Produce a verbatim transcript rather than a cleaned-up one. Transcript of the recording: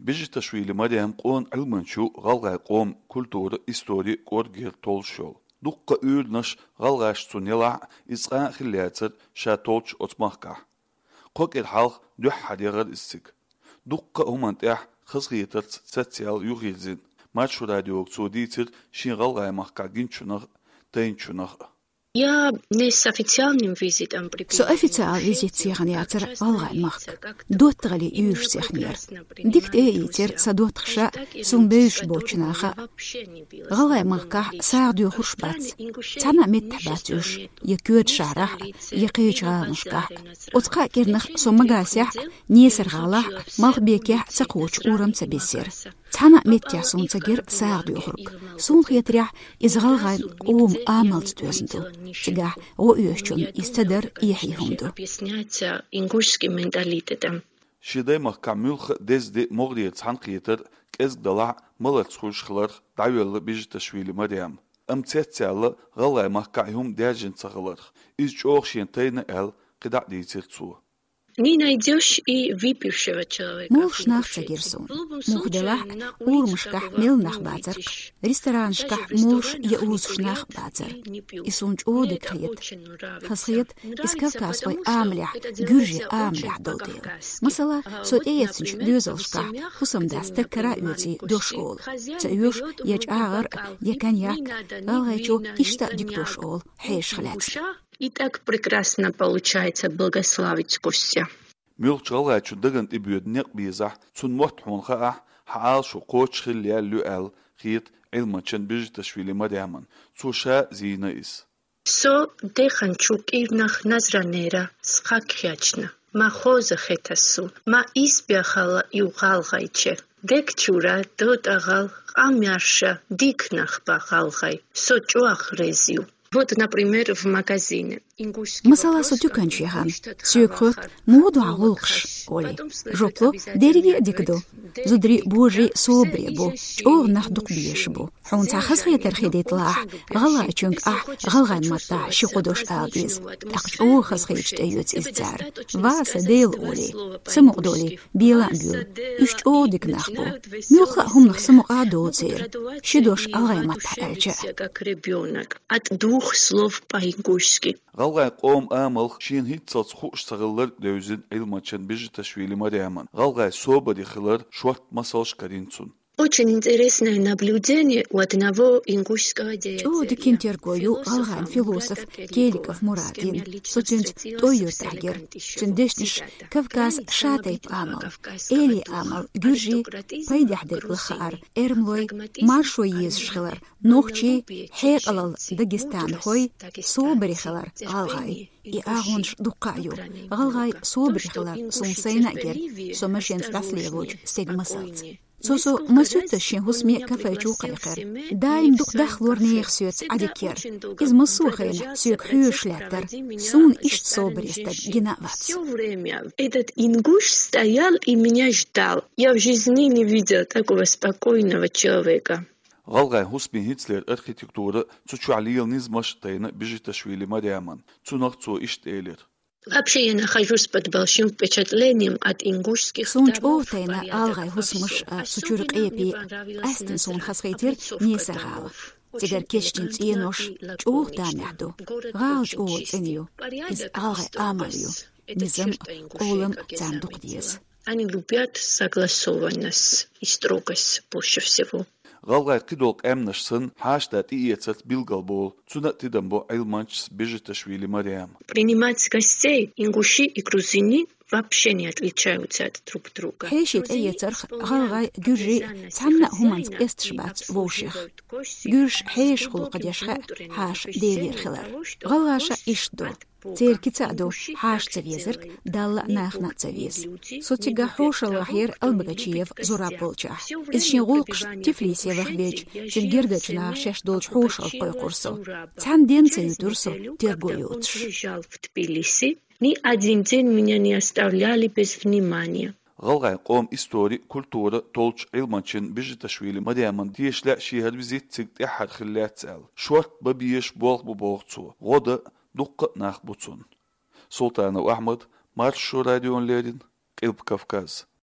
Бежиташвили Марем къона Ӏилманча, гӀалгӀай къоман культура, истори кӀоргера толлуш йолу. Дуккха уьйранаш гӀалгӀаша цунна елахь а, иза цкъа а хилла яцара ша толлучу оцу махкахь. Кхо кӀира хьалха дуьххьара яхара иза цига. Дуккха а хӀуманна тӀехь хазахетарца цецъяьлла юхайирзина. Маршо радиога цо дийцира шен гӀалгӀай махкахь гиначунах а, тайначунах а. Я не с официальным визитом прибыла. Со официал визитца яхана яцара гӀалгӀай махка. ДоттагӀалле уьйраш цехнера. Дика тӀе а ийцира сан доттагӀаша, суна бевзаш боцчу наха. ГӀалгӀай махкахь сагӀа доьхурш бац. Цхьана а меттехь бац уьш, я коьртачу шахьарахь а, я кхечу гӀаланашкахь а. Оцу кхаа кӀирнах со Магасехь а, Несар-гӀалахь а, Малхбекехь а ца кхочу урам ца бисира. Цхьана а меттехь суна ца гира сагӀа доьхург. Суна хетарехь, иза гӀалгӀайн къоман амалца доьзна ду. Цигахь гӀо оьшучунна иза ца дар эхье хӀума ду. Объясняется ингушским менталитетом. Шен даймахкахь муьлхха а деза де могӀарера цхьаьнакхетар, кӀезиг далахь а, маларца хуьлуш хиларх дӀавелла Бежиташвили Марем. Амма цецъяьлла гӀалгӀай махкахь и хӀума даьржина ца хиларх, иза чӀогӀа шена тайна аьлла, кхидӀа а дийцира цо. Не найдёшь и выпившего человека. Молуш нах ца гира суна. Муха делахь а, урамашкахь мел нах бацара-кх, ресторанашкахь молуш я узуш нах а бацара. И суна чӀогӀа дика хета. Хазахета, иза кавказхойн амалехь, гуьржийн амалехь долу дела. Масала, со тӀеэцначу доьзалшкахь хӀусамда стаг кара а оьций дош олу. Ца оьшу я чӀагӀар а, я коньяк, гӀалгӀайчо иштта а дика дош олу, хьешах лаьцна. И так прекрасно получается благословить гостя. Муьлххачу гӀалгӀайчун дагна тӀе боьду некъ безахь, цунна мотт хьуна хаахь, хьан Ӏалашо кхочуш хилла яьлла ю аьлла хета Ӏилманчин Бежиташвили Мареман. Цо ша а зийна иза. Со деханчу кӀирнах назранера схьакхаьчна. Ма хоза хета суна, ма исбаьхала ю гӀалгӀайче. Дег чуьра дотӀагӀал къамел еш дика нах бу гӀалгӀай. Со чӀогӀа реза ю. Вот, например, в магазине. Масала, со туьканчу яхана, соьга хоьтту, муха ду хьан гӀуллакхаш, олий. Жоп ло, дерриге а дика ду. Зударий божарий собаре бу, чӀогӀа нах дукха безаш бу. Хьуна цхьа хазахетар хир ду делахь, гӀалгӀайчуьнга ахь гӀалгӀайн маттахь ши-кхо дош ала деза. ТӀаккха чӀогӀа хазахеташ тӀеоьцу иза цара. Ва сан Дела, олий, самукъадолий, бела а буьйлу. Уьш чӀогӀа дика нах бу. Муьлхха а хӀуманах самукъа а доцу церан, ши дош гӀалгӀайн маттахь аьлча а. Как ребёнок. От двух слов по-ингушски. ГӀалгӀайн къоман амалх шена хӀинццалц хууш ца хилларг а девзина Ӏилманчин Бежиташвили Мареман. ГӀалгӀайн собаре хиларан шортта масалш карийна цунна. Очень интересное наблюдение у одного ингушского деятеля. ЧӀогӀа дика терго ю гӀалгӀайн философ Келиков Мурада. Со цуьнца ТӀой-Юьртахь гира. Цуьнан дешнаш Кавказ ша тайпа амал, эли амал, гуьржий, пайдехь дерг лаха хаар, эрмалой, маршо езаш хилар, нохчий, хьекъалалла дагестанхой, собаре хилар гӀалгӀай. И агӀонаш дуккха а ю. ГӀалгӀай собаре хилар суна сайна а гира, со машенца дӀасалелочу стеган масалца. Цо со масуьттаза шен хӀусаме кафе чу кхайкхира. Даим дукха дахлора нехан соьца Ӏадика яра. Иза массо а хенахь соьга хьоьжуш лаьттара. Суна иштта собаре стаг гина а вац. Всё время этот ингуш стоял и меня ждал. Я в жизни не видела такого спокойного человека. ГӀалгӀайн хӀусамийн хӀинцалера архитектура, цу чохь лела низамаш а тайна Бежиташвили Мареман. Цунах цо иштта элира. Вообще, я нахожусь под большим впечатлением от ингушских дворов. Суна чӀогӀа тайна гӀалгӀайн хӀусамаш а, цу чуьра къепе а. Къаьсттина суна хазахийтира Несар-гӀала. Цигара кечдина цӀенош чӀогӀа тамехь ду. ГӀала чӀогӀа цӀена ю. Иза гӀалгӀайн амал ю. Низам а, къолам а царна дукха деза. Они любят согласованность и строгость больше всего. ГӀалгӀайн кхидолу къаьмнаш санна, хьаштан тӀеэцарца билгалболу, цунна а тидам бо Ӏилманчас Бежиташвили Марема. Принимать гостей ингуши и грузини вообще не отличаются от друг друга. Хьеший тӀеэцарх гӀалгӀай, гуьржий цхьанна а хӀуманца къесташ бац вовшех. Гуьржаш хьешах гӀуллакх деш хаьа хьаша Делера хилар. ГӀалгӀаша иштта ду. Церан кица а ду, хьаша ца везарг Далла а, нахана а ца веза. Со цигахь хьошалгӀахь яра Албогачиев Зураб волчохь. Иза шен гӀуллакхаш Тифлисе ваха веъча, цуьнан гергарчу наха шаьш долчу хьошалгӀа кхойкхура со. Цхьана денна ца юьтура со терго йоцуш. Приезжал в Тбилиси, ни один день меня не оставляли без внимания. ГӀалгӀайн къоман истори, культура толлучу Ӏилманчин Бежиташвили Мареман тешале а шен хӀара визит цига тӀаьххьара хилла лаьцна аьлла. Шортта бан безаш болх бу боху цо. ГӀо дан дуккха а нах бу цунна. Султанов Ахьмад, Маршо радиона леррина, Къилба Кавказ.